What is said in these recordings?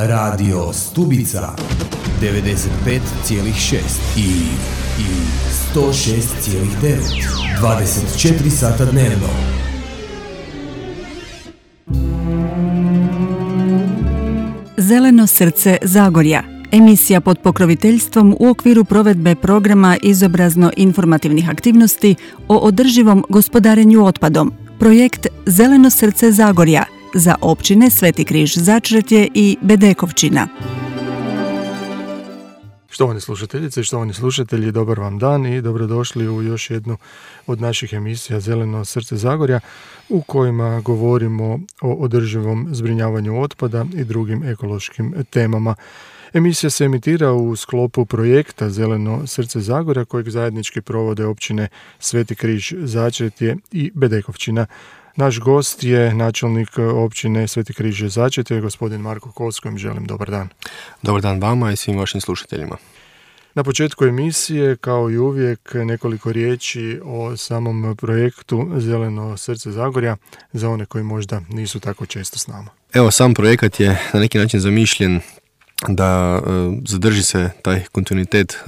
Radio Stubica 95,6 i 106,9 24 sata dnevno. Zeleno srce Zagorja. Emisija pod pokroviteljstvom u okviru provedbe programa izobrazno-informativnih aktivnosti o održivom gospodarenju otpadom. Projekt Zeleno srce Zagorja za općine Sveti Križ Začretje i Bedekovčina. Štovane slušateljice i štovani slušatelji, dobar vam dan i dobrodošli u još jednu od naših emisija Zeleno srce Zagorja u kojima govorimo o održivom zbrinjavanju otpada i drugim ekološkim temama. Emisija se emitira u sklopu projekta Zeleno srce Zagorja kojeg zajednički provode općine Sveti Križ Začretje i Bedekovčina. Naš gost je načelnik općine Sveti Križ Začretje, gospodin Marko Kos, kojem želim dobar dan. Dobar dan vama i svim vašim slušateljima. Na početku emisije, kao i uvijek, nekoliko riječi o samom projektu Zeleno srce Zagorja za one koji možda nisu tako često s nama. Evo, sam projekat je na neki način zamišljen da zadrži se taj kontinuitet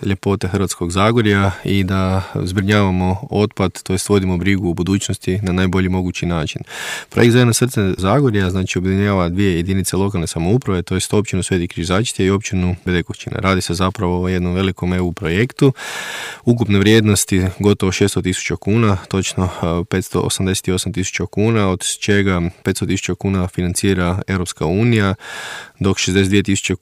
ljepote Hrvatskog Zagorja i da zbrinjavamo otpad, to jest vodimo brigu u budućnosti na najbolji mogući način. Projekt Zeleno srce Zagorja znači objedinjava dvije jedinice lokalne samouprave, to jest općinu Sveti Križ Začretje i općinu Bedekovčina. Radi se zapravo o jednom velikom EU projektu ukupne vrijednosti gotovo 600.000 kuna, točno 588.000 kuna, od čega 500.000 kuna financira Europska unija, dok 62.000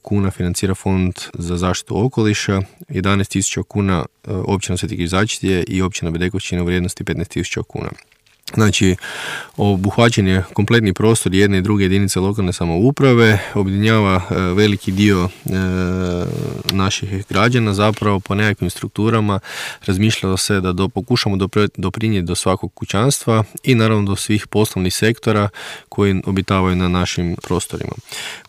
kuna financira Fond za zaštitu okoliša, 11.000 kuna općina Sveti Križ Začretje i općina Bedekovčina u vrijednosti 15.000 kuna. Znači, obuhvaćen je kompletni prostor jedne i druge jedinice lokalne samouprave, objedinjava veliki dio naših građana, zapravo po nekakvim strukturama razmišljalo se da pokušamo doprinijeti do svakog kućanstva i naravno do svih poslovnih sektora koji obitavaju na našim prostorima.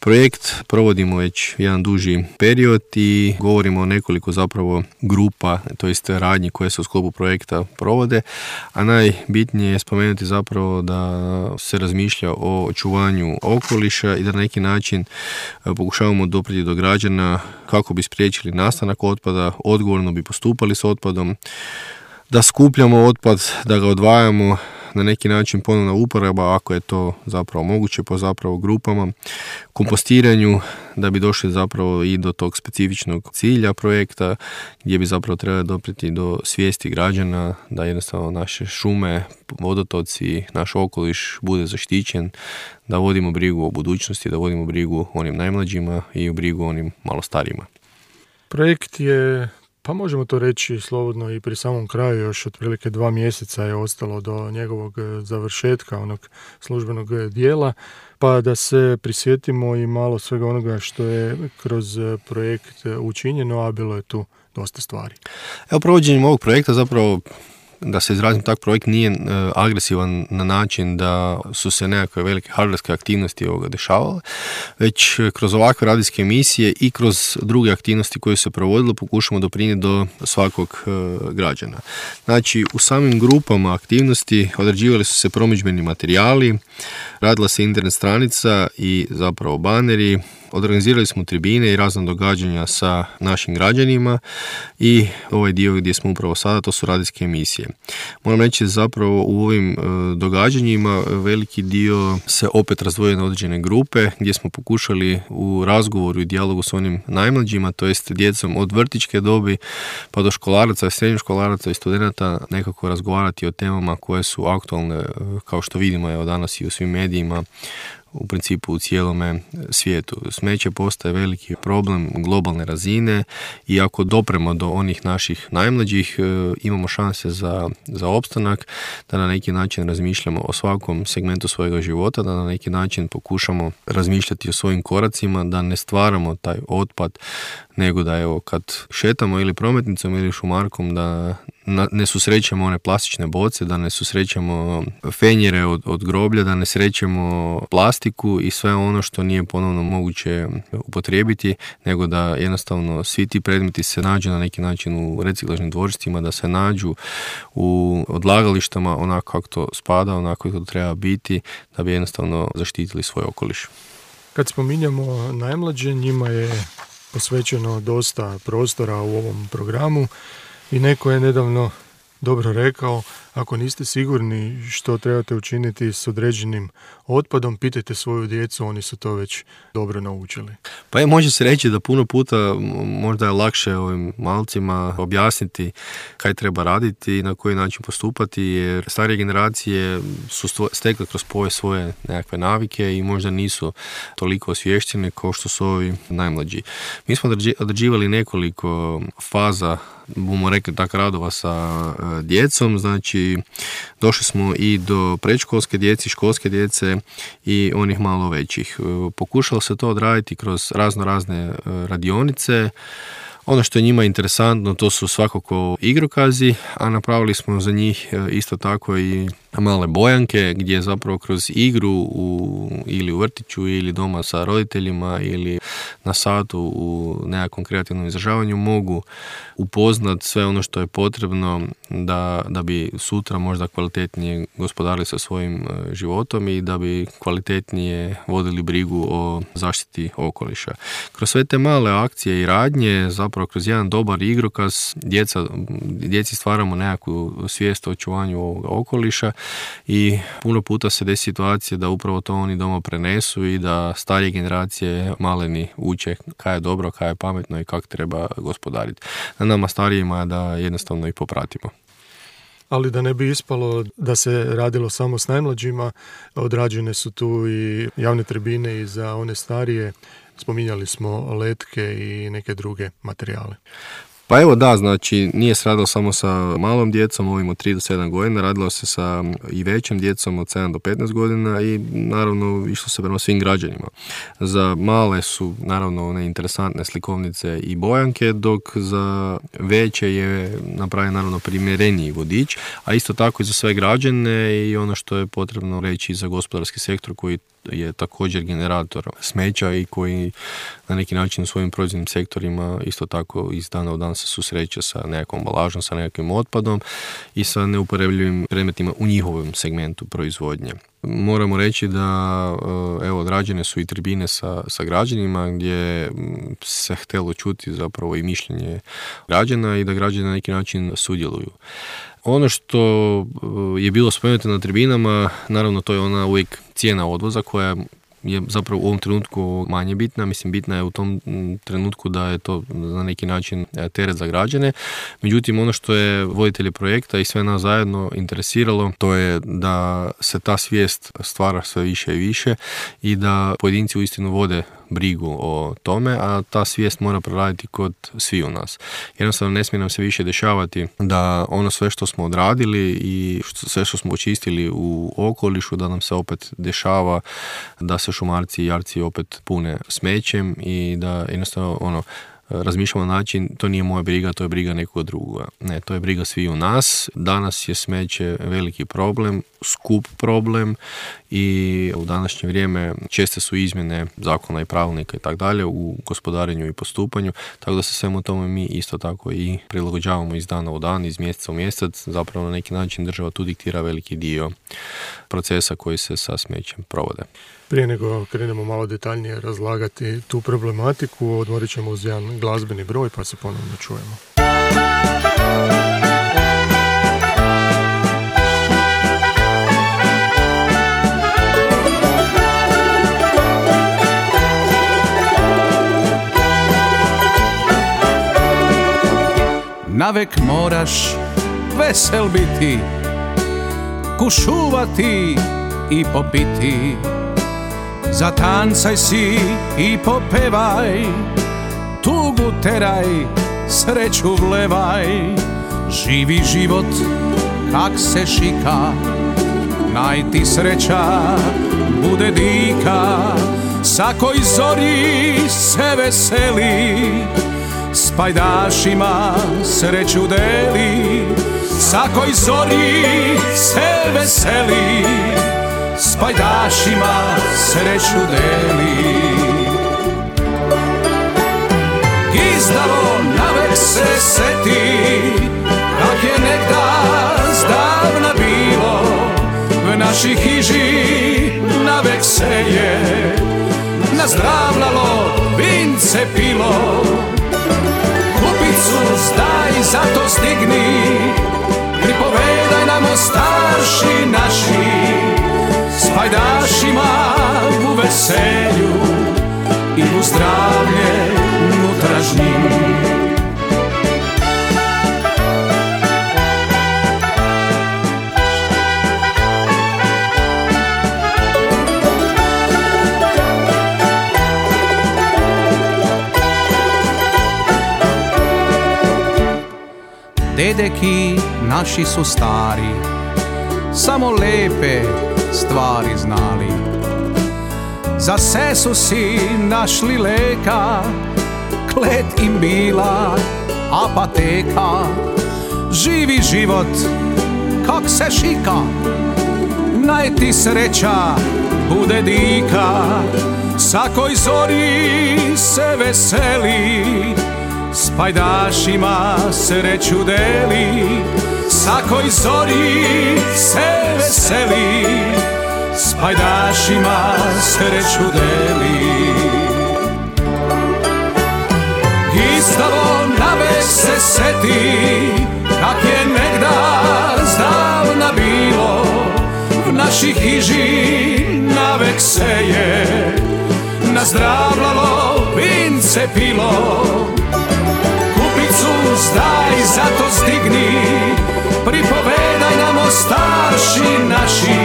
Projekt provodimo već jedan duži period i govorimo o nekoliko zapravo grupa, to jest radnji koje se u sklopu projekta provode, a najbitnije je spomenuti zapravo da se razmišlja o očuvanju okoliša i da na neki način pokušavamo doprijeti do građana kako bi spriječili nastanak otpada, odgovorno bi postupali s otpadom, da skupljamo otpad, da ga odvajamo, na neki način ponovna uporaba ako je to zapravo moguće po zapravo grupama, kompostiranju da bi došli zapravo i do tog specifičnog cilja projekta gdje bi zapravo trebali doprijeti do svijesti građana da jednostavno naše šume, vodotoci, naš okoliš bude zaštićen, da vodimo brigu o budućnosti, da vodimo brigu o onim najmlađima i o brigu o onim malo starijima. Projekt je, pa možemo to reći slobodno i pri samom kraju, još otprilike 2 mjeseca je ostalo do njegovog završetka, onog službenog dijela, pa da se prisjetimo i malo svega onoga što je kroz projekt učinjeno, a bilo je tu dosta stvari. Evo, provođenjem ovog projekta zapravo, da se izrazim, tak projekt nije agresivan na način da su se nekakve velike hardverske aktivnosti ovoga dešavale, već kroz ovakve radijske emisije i kroz druge aktivnosti koje se provodilo pokušamo doprinijeti do svakog građana. Znači, u samim grupama aktivnosti određivali su se promidžbeni materijali, radila se internet stranica i zapravo baneri, organizirali smo tribine i razna događanja sa našim građanima i ovaj dio gdje smo upravo sada, to su radijske emisije. Moram reći zapravo u ovim događanjima veliki dio se opet razdvojio na određene grupe gdje smo pokušali u razgovoru i dijalogu s onim najmlađima, to jest djecom od vrtićke dobi pa do školaraca, srednjoškolaraca i studenata nekako razgovarati o temama koje su aktualne, kao što vidimo evo danas i u svim medijima, u principu u cijelome svijetu. Smeće postaje veliki problem globalne razine i ako dopremo do onih naših najmlađih, imamo šanse za opstanak, da na neki način razmišljamo o svakom segmentu svojega života, da na neki način pokušamo razmišljati o svojim koracima, da ne stvaramo taj otpad, nego da evo kad šetamo ili prometnicom ili šumarkom da ne susrećemo one plastične boce, da ne susrećemo fenjere od groblja, da ne srećemo plastiku i sve ono što nije ponovno moguće upotrijebiti, nego da jednostavno svi ti predmeti se nađu na neki način u reciklažnim dvorištima, da se nađu u odlagalištama onako kako to spada, onako kako to treba biti, da bi jednostavno zaštitili svoj okoliš. Kad spominjamo najmlađe, njima je posvećeno dosta prostora u ovom programu i neko je nedavno dobro rekao, ako niste sigurni što trebate učiniti s određenim otpadom, pitajte svoju djecu, oni su to već dobro naučili. Pa može se reći da puno puta možda je lakše ovim malcima objasniti kaj treba raditi i na koji način postupati, jer starije generacije su stekle kroz povijest svoje nekakve navike i možda nisu toliko osvještene kao što su ovi najmlađi. Mi smo određivali nekoliko faza, bomo rekli tako, radova sa djecom, znači došli smo i do predškolske djece, školske djece i onih malo većih. Pokušalo se to odraditi kroz razne radionice. Ono što je njima interesantno, to su svakako igrokazi, a napravili smo za njih isto tako i male bojanke, gdje zapravo kroz igru ili u vrtiću ili doma sa roditeljima ili na satu u nekakvom kreativnom izražavanju mogu upoznat sve ono što je potrebno da bi sutra možda kvalitetnije gospodarili sa svojim životom i da bi kvalitetnije vodili brigu o zaštiti okoliša. Kroz sve te male akcije i radnje, zapravo kroz jedan dobar igrokaz, djeci stvaramo nekakvu svijest o očuvanju ovoga okoliša i puno puta se desi situacije da upravo to oni doma prenesu i da starije generacije maleni uče kaj je dobro, kaj je pametno i kako treba gospodariti. Na nama starijima je da jednostavno i popratimo. Ali da ne bi ispalo da se radilo samo s najmlađima, odrađene su tu i javne tribine i za one starije. Spominjali smo letke i neke druge materijale. Pa evo da, znači nije se radilo samo sa malom djecom, ovim od 3 do 7 godina, radilo se sa i većom djecom od 7 do 15 godina i naravno išlo se prema svim građanima. Za male su naravno one interesantne slikovnice i bojanke, dok za veće je napravljen naravno primjereniji vodič, a isto tako i za sve građane i ono što je potrebno reći za gospodarski sektor koji je također generator smeća i koji na neki način u svojim proizvodnim sektorima isto tako iz dana u dan se susreće sa nekakvom ambalažom, sa nekakvim otpadom i sa neuporabljivim predmetima u njihovom segmentu proizvodnje. Moramo reći da evo, odrađene su i tribine sa građanima gdje se htjelo čuti zapravo i mišljenje građana i da građani na neki način sudjeluju. Ono što je bilo spomenuto na tribinama, naravno to je ona uvijek cijena odvoza koja je zapravo u ovom trenutku manje bitna. Mislim, bitna je u tom trenutku da je to na neki način teret za građane. Međutim, ono što je voditelje projekta i sve nas zajedno interesiralo, to je da se ta svijest stvara sve više i više i da pojedinci uistinu vode brigu o tome, a ta svijest mora proraditi kod svih u nas. Jednostavno ne smije nam se više dešavati da ono sve što smo odradili i sve što smo očistili u okolišu, da nam se opet dešava da se šumarci i jarci opet pune smećem i da jednostavno razmišljamo na način, to nije moja briga, to je briga nekoga drugoga. Ne, to je briga svih u nas. Danas je smeće veliki problem, skup problem i u današnje vrijeme česte su izmjene zakona i pravilnika i tako dalje u gospodarenju i postupanju, tako da se svemu tome mi isto tako i prilagođavamo iz dana u dan, iz mjeseca u mjesec. Zapravo na neki način država tu diktira veliki dio procesa koji se sa smećem provode. Prije nego krenemo malo detaljnije razlagati tu problematiku, odmorit ćemo uz jedan glazbeni broj pa se ponovno čujemo. Navek moraš vesel biti, kušuvati i popiti. Zatancaj si i popevaj, tugu teraj, sreću vlevaj. Živi život kak se šika, naj ti sreća bude dika. Sakoj zori se veseli, s pajdašima sreću deli. Sakoj zori se veseli, s pajdašima sreću deli. Gizdalo navek se seti, kak je nekda zdavna bilo. V naši hiži navek se je nazdravljalo, vince pilo. Kupicu zdaj, zato stigni, pripovedaj nam o starši naši, s pajdašima u veselju i u zdravlje unutrašnjim. Dedeki naši su stari, samo lepe stvari znali. Za se su si našli leka, klet im bila apateka. Živi život kak se šika, naj ti sreća bude dika. Sakoj zori se veseli, s pajdašima sreću deli. Sakoj zori se veseli, s pajdašima sreću deli. Gistavo navek se seti, kak je negda zdavna bilo. V naši hiži navek se je nazdravljalo, vince pilo. Zdaj, zato stigni, pripovedaj nam o starši naši,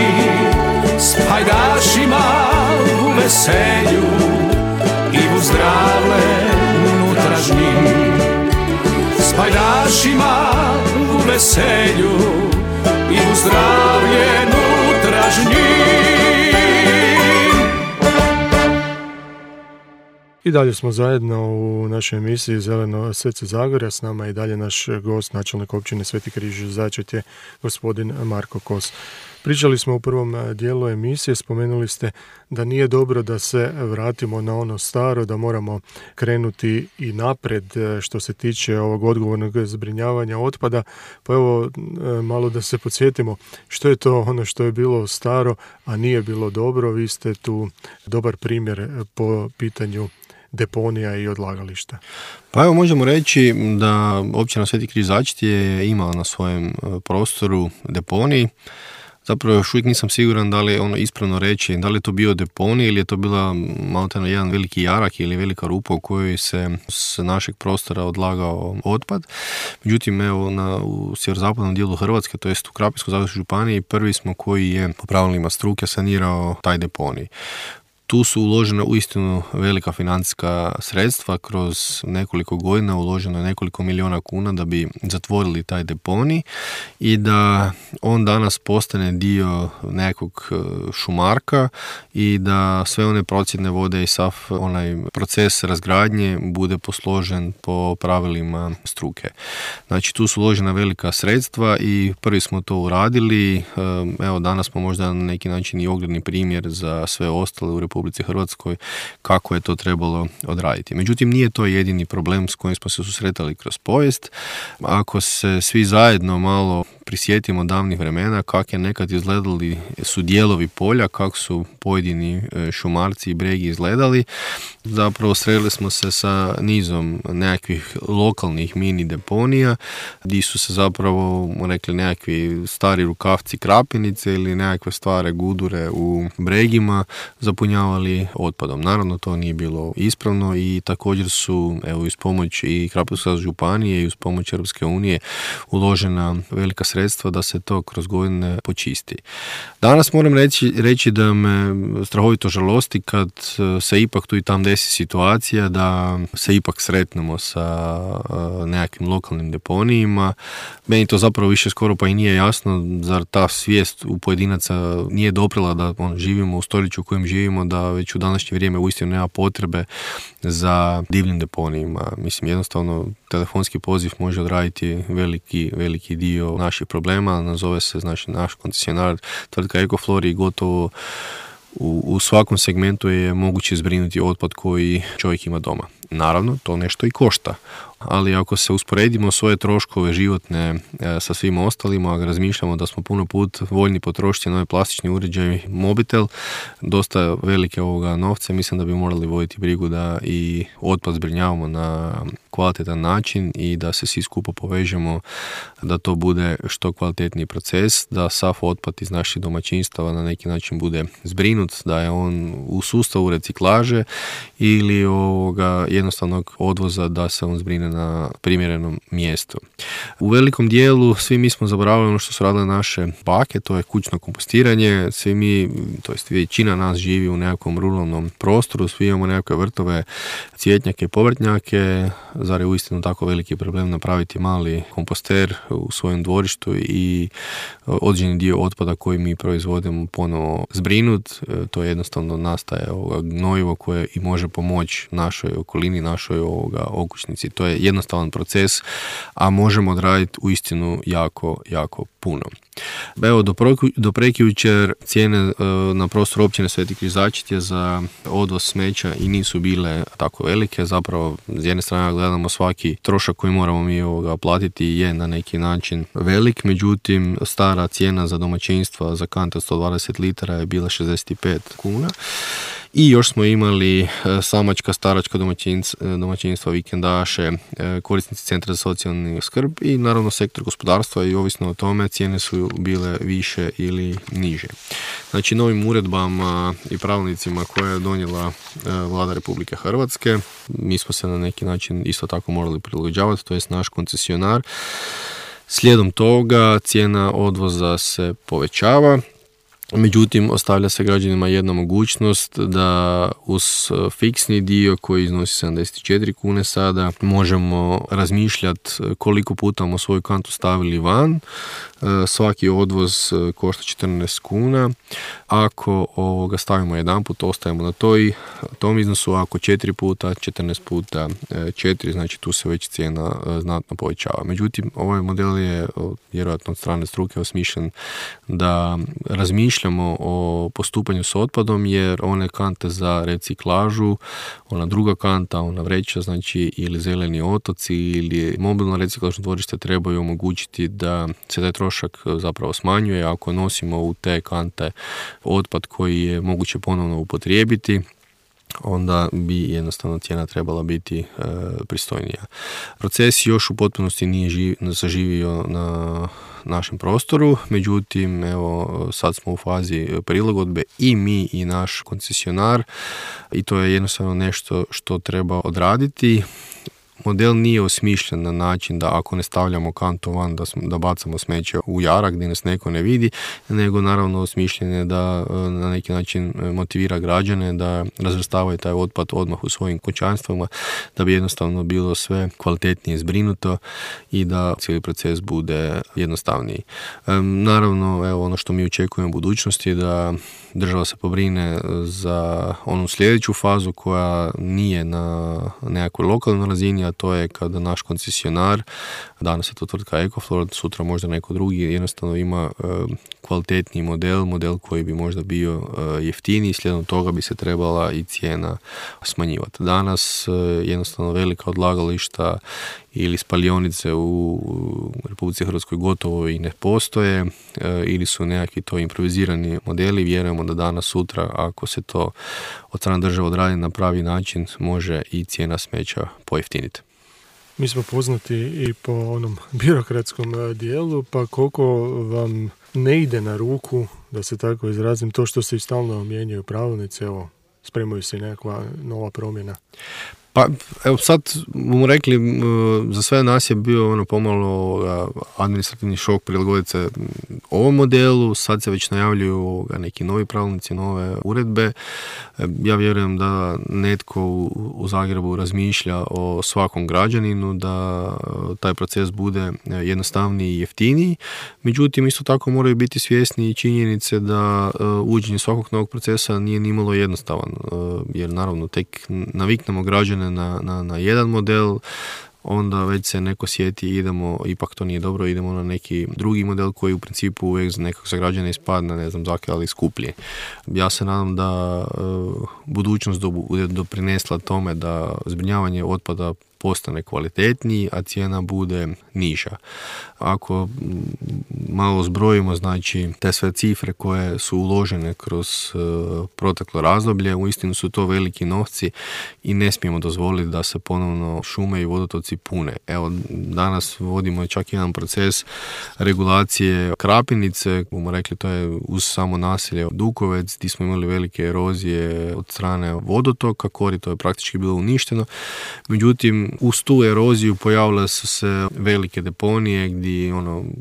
s pajdašima u veselju i u zdravlje unutrašnjim. S pajdašima u veselju i u zdravlje unutrašnjim. I dalje smo zajedno u našoj emisiji Zeleno srce Zagorja. S nama je i dalje naš gost, načelnik općine Sveti Križ Začetje, gospodin Marko Kos. Pričali smo u prvom dijelu emisije, spomenuli ste da nije dobro da se vratimo na ono staro, da moramo krenuti i napred što se tiče ovog odgovornog zbrinjavanja otpada. Pa evo, malo da se podsjetimo što je to ono što je bilo staro, a nije bilo dobro. Vi ste tu dobar primjer po pitanju deponija i odlagališta. Pa evo, možemo reći da općina Sveti Križ Začetje je imala na svojem prostoru deponij. Zapravo još uvijek nisam siguran da li je ono ispravno reći, da li je to bio deponij ili je to bila malteno jedan veliki jarak ili velika rupa u kojoj se s našeg prostora odlagao otpad. Međutim, evo u sjeverozapadnom dijelu Hrvatske, to jest u Krapinsko-zagorskoj županiji, prvi smo koji je po pravilima struke sanirao taj deponij. Tu su uložena uistinu velika financijska sredstva, kroz nekoliko godina uloženo je nekoliko milijuna kuna da bi zatvorili taj deponij i da on danas postane dio nekog šumarka i da sve one procjedne vode i sav onaj proces razgradnje bude posložen po pravilima struke. Znači, tu su uložena velika sredstva i prvi smo to uradili. Evo, danas smo možda na neki način i ogledni primjer za sve ostale u Republici Hrvatskoj kako je to trebalo odraditi. Međutim, nije to jedini problem s kojim smo se susretali kroz povijest. Ako se svi zajedno malo prisjetimo davnih vremena, kako je nekad izgledali su dijelovi polja, kako su pojedini šumarci i bregi izgledali, zapravo sreli smo se sa nizom nekakvih lokalnih mini deponija, gdje su se zapravo rekli nekakvi stari rukavci krapinice ili nekakve stare gudure u bregima zapunjavali otpadom. Naravno, to nije bilo ispravno i također su, evo, uz pomoć i Krapinsko-zagorske županije i uz pomoć Europske unije uložena velika sredstva da se to kroz godine počisti. Danas moram reći da me strahovito žalosti kad se ipak tu i tam desi situacija da se ipak sretnemo sa nekakvim lokalnim deponijima. Meni to zapravo više skoro pa i nije jasno, zar ta svijest u pojedinaca nije doprela da živimo u stoljeću u kojem živimo, da već u današnje vrijeme uistinu nema potrebe za divljim deponijima. Mislim, jednostavno telefonski poziv može odraditi veliki dio naših problema. Nazove se, znači, naš koncesionar tvrtka Ecoflor i gotovo u svakom segmentu je moguće zbrinuti otpad koji čovjek ima doma. Naravno, to nešto i košta. Ali ako se usporedimo svoje troškove životne sa svim ostalima, ako razmišljamo da smo puno put voljni potrošiti novi plastični uređaj, mobitel, dosta velike ovoga novca, mislim da bi morali voditi brigu da i otpad zbrinjavamo na kvalitetan način i da se svi skupo povežemo, da to bude što kvalitetniji proces, da sav otpad iz naših domaćinstava na neki način bude zbrinut, da je on u sustavu reciklaže ili jednostavnog odvoza, da se on zbrine na primjerenom mjestu. U velikom dijelu svi mi smo zaboravili ono što su radile naše bake, to je kućno kompostiranje. Svi mi, to jest većina nas živi u nekakvom ruralnom prostoru, svi imamo nekakve vrtove, cvjetnjake, povrtnjake. Zar je uistinu tako veliki problem napraviti mali komposter u svojem dvorištu i određeni dio otpada koji mi proizvodimo ponovo zbrinut. To jednostavno nastaje gnojivo koje i može pomoći našoj okolini, našoj okućnici. To je jednostavan proces, a možemo odraditi uistinu jako, jako puno. Evo, do prekjučer cijene na prostoru općine Sveti Križačit za odvoz smeća i nisu bile tako velike. Zapravo, s jedne strane gledamo svaki trošak koji moramo mi platiti je na neki način velik, međutim stara cijena za domaćinstva za kante 120 litara je bila 65 kuna. I još smo imali samačka, staračka domaćinstva, vikendaše, korisnici centra za socijalnu skrb i naravno sektor gospodarstva, i ovisno o tome cijene su bile više ili niže. Znači, novim uredbama i pravilnicima koje je donijela Vlada Republike Hrvatske, mi smo se na neki način isto tako morali prilagođavati, to jest naš koncesionar. Slijedom toga cijena odvoza se povećava. Međutim, ostavlja se građanima jedna mogućnost da uz fiksni dio koji iznosi 74 kune sada možemo razmišljati koliko puta smo svoju kantu stavili van. Svaki odvoz košta 14 kuna. Ako stavimo jedan put, ostajemo na tom iznosu, ako 4 puta, 14 puta 4, znači tu se već cijena znatno povećava. Međutim, ovaj model je vjerojatno od strane struke osmišljen da razmišljamo o postupanju s otpadom, jer one kante za reciklažu, ona druga kanta, ona vreća, znači ili zeleni otoci ili mobilno reciklažno dvorište trebaju omogućiti da se taj trošak zapravo smanjuje. Ako nosimo u te kante otpad koji je moguće ponovno upotrijebiti, onda bi jednostavno cijena trebala biti pristojnija. Proces još u potpunosti nije zaživio na našem prostoru, međutim, evo, sad smo u fazi prilagodbe i mi i naš koncesionar, i to je jednostavno nešto što treba odraditi. Model nije osmišljen na način da ako ne stavljamo kantu van da bacamo smeće u jarak gdje nas neko ne vidi, nego naravno osmišljen je da na neki način motivira građane da razvrstavaju taj otpad odmah u svojim kućanstvima, da bi jednostavno bilo sve kvalitetnije zbrinuto i da cijeli proces bude jednostavniji. Naravno, evo, ono što mi očekujemo u budućnosti je da država se pobrine za onu sljedeću fazu koja nije na nekakvoj lokalnoj razini, a to je kada naš koncesionar, danas je to tvrtka Ecoflor, sutra možda neko drugi, jednostavno ima kvalitetniji model koji bi možda bio jeftiniji, slijedom toga bi se trebala i cijena smanjivati. Danas jednostavno velika odlagališta ili spalionice u Republici Hrvatskoj gotovo i ne postoje, ili su nekakvi to improvizirani modeli. Vjerujemo da danas, sutra, ako se to od strane države odradi na pravi način, može i cijena smeća pojeftiniti. Mi smo poznati i po onom birokratskom dijelu, pa koliko vam ne ide na ruku, da se tako izrazim, to što se i stalno mijenjaju pravilnici, evo, spremaju se nekakva nova promjena? Pa, evo, sad bomo rekli, za sve nas je bio pomalo administrativni šok prilagoditi se ovom modelu. Sad se već najavljuju neki novi pravilnici, nove uredbe. Ja vjerujem da netko u Zagrebu razmišlja o svakom građaninu, da taj proces bude jednostavniji i jeftiniji. Međutim, isto tako moraju biti svjesni i činjenice da uvođenje svakog novog procesa nije nimalo jednostavan, jer naravno tek naviknemo građane na jedan model, onda već se neko sjeti idemo, ipak to nije dobro, idemo na neki drugi model koji u principu uvijek nekako za građane ispadne, ne znam, ali skuplji. Ja se nadam da budućnost bude doprinesla tome da zbrinjavanje otpada postane kvalitetniji, a cijena bude niža. Ako malo zbrojimo, znači, te sve cifre koje su uložene kroz proteklo razdoblje, uistinu su to veliki novci i ne smijemo dozvoliti da se ponovno šume i vodotoci pune. Evo, danas vodimo čak jedan proces regulacije Krapinice, bomo rekli, to je uz samo naselje Dukovec, gdje smo imali velike erozije od strane vodotoka, korito je praktički bilo uništeno. Međutim, uz tu eroziju pojavile su se velike deponije gdje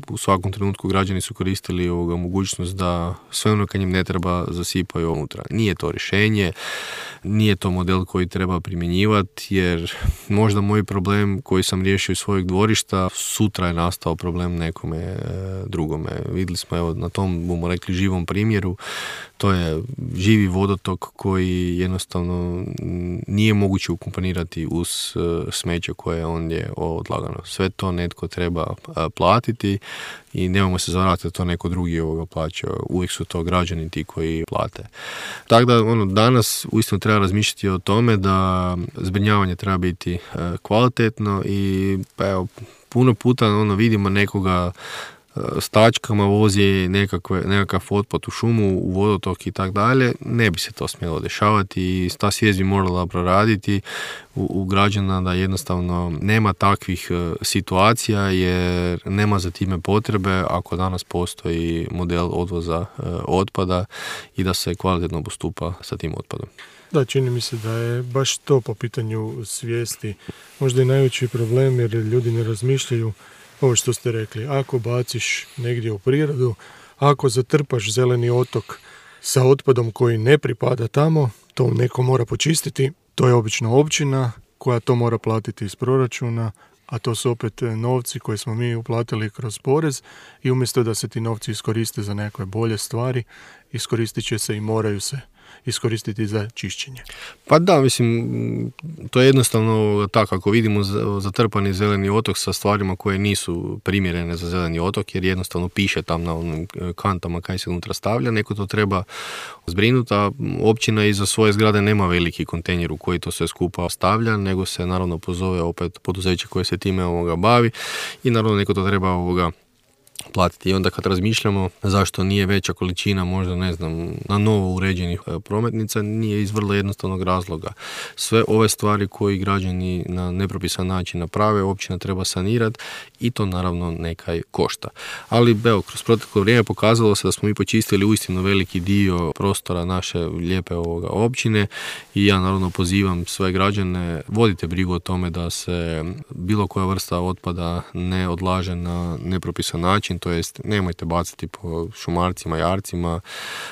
u svakom trenutku građani su koristili mogućnost da sve ono kad im ne treba zasipaju unutra. Nije to rješenje, nije to model koji treba primjenjivati, jer možda moj problem koji sam riješio iz svojeg dvorišta, sutra je nastao problem nekome drugome. Vidjeli smo, evo, na tom, bomo rekli, živom primjeru, to je živi vodotok koji jednostavno nije moguće ukomponirati uz smeće koje on je odlagano. Sve to netko treba platiti i nemojmo se zavarati da to neko drugi plaća. Uvijek su to građani ti koji plate. Tako da danas uistinu treba razmišljati o tome da zbrinjavanje treba biti kvalitetno i evo, puno puta vidimo nekoga s tačkama vozi nekakav otpad u šumu, u vodotok i tako dalje. Ne bi se to smjelo dešavati i ta svijest bi morala proraditi u građana da jednostavno nema takvih situacija jer nema za time potrebe ako danas postoji model odvoza otpada i da se kvalitetno postupa sa tim otpadom. Da, čini mi se da je baš to po pitanju svijesti možda i najveći problem jer ljudi ne razmišljaju ovo što ste rekli. Ako baciš negdje u prirodu, ako zatrpaš zeleni otok sa otpadom koji ne pripada tamo, to neko mora počistiti, to je obično općina koja to mora platiti iz proračuna, a to su opet novci koje smo mi uplatili kroz porez i umjesto da se ti novci iskoriste za nekakve bolje stvari, iskoristit će se i moraju se iskoristiti za čišćenje. Pa da, mislim, to je jednostavno tako, ako vidimo zatrpani zeleni otok sa stvarima koje nisu primjerene za zeleni otok, jer jednostavno piše tam na onim kantama kaj se unutra stavlja, neko to treba zbrinuti, a općina iza svoje zgrade nema veliki kontejner u koji to sve skupa stavlja, nego se naravno pozove opet poduzeće koje se time bavi i naravno neko to treba platiti. I onda kad razmišljamo zašto nije veća količina možda, ne znam, na novo uređenih prometnica, nije iz vrlo jednostavnog razloga. Sve ove stvari koje građani na nepropisan način naprave, općina treba sanirati i to naravno nekaj košta. Ali evo, kroz proteklo vrijeme pokazalo se da smo mi počistili uistinu veliki dio prostora naše lijepe općine i ja naravno pozivam sve građane, vodite brigu o tome da se bilo koja vrsta otpada ne odlaže na nepropisan način, to jest nemojte bacati po šumarcima, jarcima,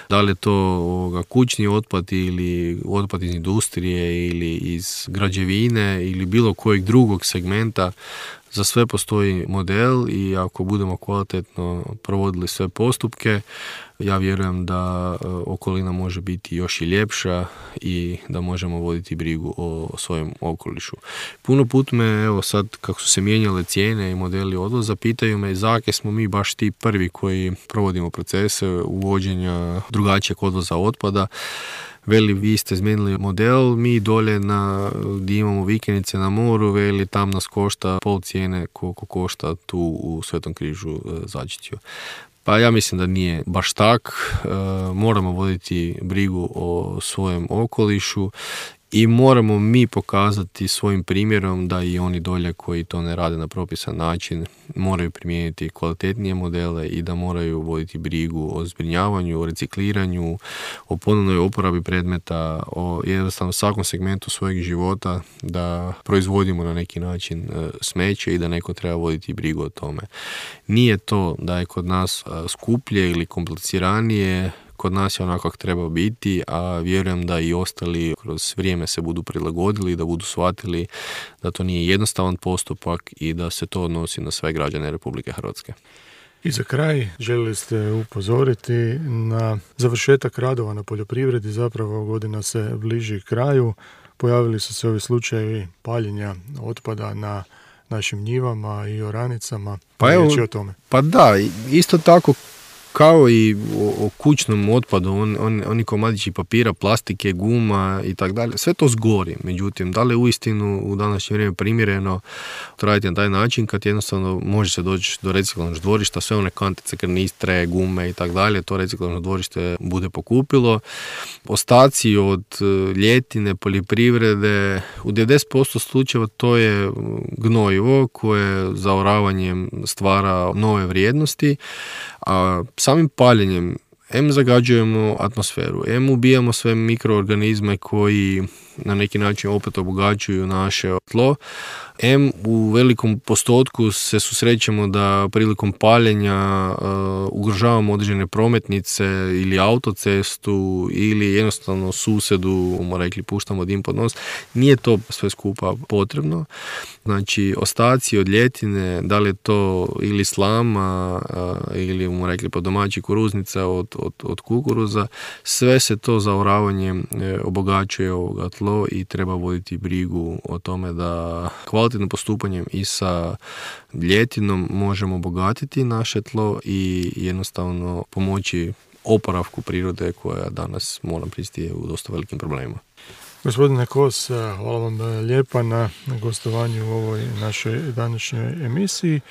da li je to kućni otpad ili otpad iz industrije ili iz građevine ili bilo kojeg drugog segmenta. Za sve postoji model i ako budemo kvalitetno provodili sve postupke, ja vjerujem da okolina može biti još i ljepša i da možemo voditi brigu o svojem okolišu. Puno put me, evo sad kako su se mijenjale cijene i modeli odvoza, pitaju me zakaj smo mi baš ti prvi koji provodimo procese uvođenja drugačijeg odvoza otpada. Veli, vi ste izmijenili model, mi dolje gdje imamo vikendice na moru, veli, tam nas košta pol cijene koliko košta tu u Svetom Križu Začetju. Pa ja mislim da nije baš tak. Moramo voditi brigu o svojem okolišu i moramo mi pokazati svojim primjerom da i oni dolje koji to ne rade na propisan način moraju primijeniti kvalitetnije modele i da moraju voditi brigu o zbrinjavanju, o recikliranju, o ponovnoj uporabi predmeta, o jednostavno svakom segmentu svojeg života da proizvodimo na neki način smeće i da neko treba voditi brigu o tome. Nije to da je kod nas skuplje ili kompliciranije, kod nas je onako kako treba biti, a vjerujem da i ostali kroz vrijeme se budu prilagodili, da budu shvatili da to nije jednostavan postupak i da se to odnosi na sve građane Republike Hrvatske. I za kraj željeli ste upozoriti na završetak radova na poljoprivredi, zapravo godina se bliži kraju, pojavili su se ovi slučajevi paljenja otpada na našim njivama i oranicama. Pa evo, o tome. Pa da, isto tako kao i o kućnom otpadu, oni komadići papira, plastike, guma i tako dalje, sve to zgori. Međutim, da li je uistinu u današnje vrijeme primjereno to raditi na taj način kad jednostavno može se doći do reciklažnog dvorišta, sve one kantice, karnistre, gume i tako dalje, to reciklažno dvorište bude pokupilo. Ostaci od ljetine, poljoprivrede, u 90% slučajeva to je gnojivo koje zaoravanjem stvara nove vrijednosti, a samim paljenjem zagađujemo atmosferu, ubijamo sve mikroorganizme koji na neki način opet obogaćuju naše tlo, u velikom postotku se susrećemo da prilikom paljenja ugrožavamo određene prometnice ili autocestu ili jednostavno susedu, rekli, puštamo dim pod nos. Nije to sve skupa potrebno. Znači, ostaci od ljetine, da li je to ili slama ili, rekli, po domaći kuruznica od kukuruza, sve se to zaoravanjem obogaćuje ovoga tlo i treba voditi brigu o tome da kvalitetnim postupanjem i sa ljetinom možemo obogatiti naše tlo i jednostavno pomoći oporavku prirode koja danas, moram priznati, je u dosta velikim problemima. Gospodine Kos, hvala vam lijepa na gostovanju u ovoj našoj današnjoj emisiji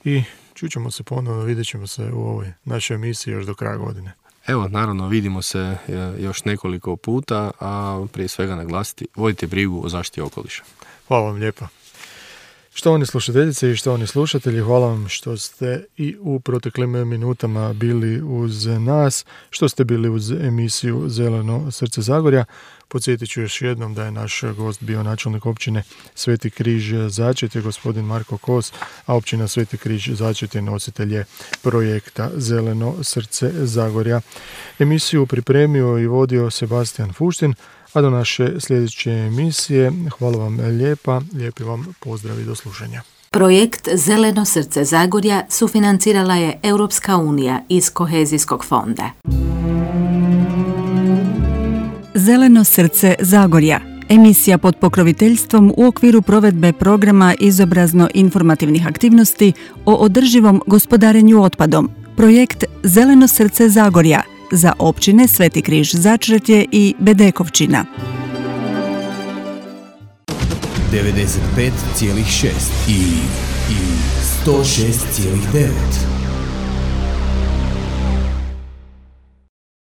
i čućemo se ponovno, vidjet ćemo se u ovoj našoj emisiji još do kraja godine. Evo, naravno, vidimo se još nekoliko puta, a prije svega naglasiti, vodite brigu o zaštiti okoliša. Hvala vam lijepa. Štovani slušateljice i štovani slušatelji, hvala vam što ste i u proteklim minutama bili uz nas, što ste bili uz emisiju Zeleno srce Zagorja. Podsjetit ću još jednom da je naš gost bio načelnik općine Sveti križ Začet, gospodin Marko Kos, a općina Sveti križ Začet je nositelj projekta Zeleno srce Zagorja. Emisiju pripremio i vodio Sebastian Fuštin, a do naše sljedeće emisije hvala vam lijepa, lijepi vam pozdrav i do slušanja. Projekt Zeleno srce Zagorja sufinancirala je Europska unija iz Kohezijskog fonda. Zeleno srce Zagorja, emisija pod pokroviteljstvom u okviru provedbe programa izobrazno-informativnih aktivnosti o održivom gospodarenju otpadom. Projekt Zeleno srce Zagorja za općine Sveti križ Začretje i Bedekovčina. 95,6 i 106,9.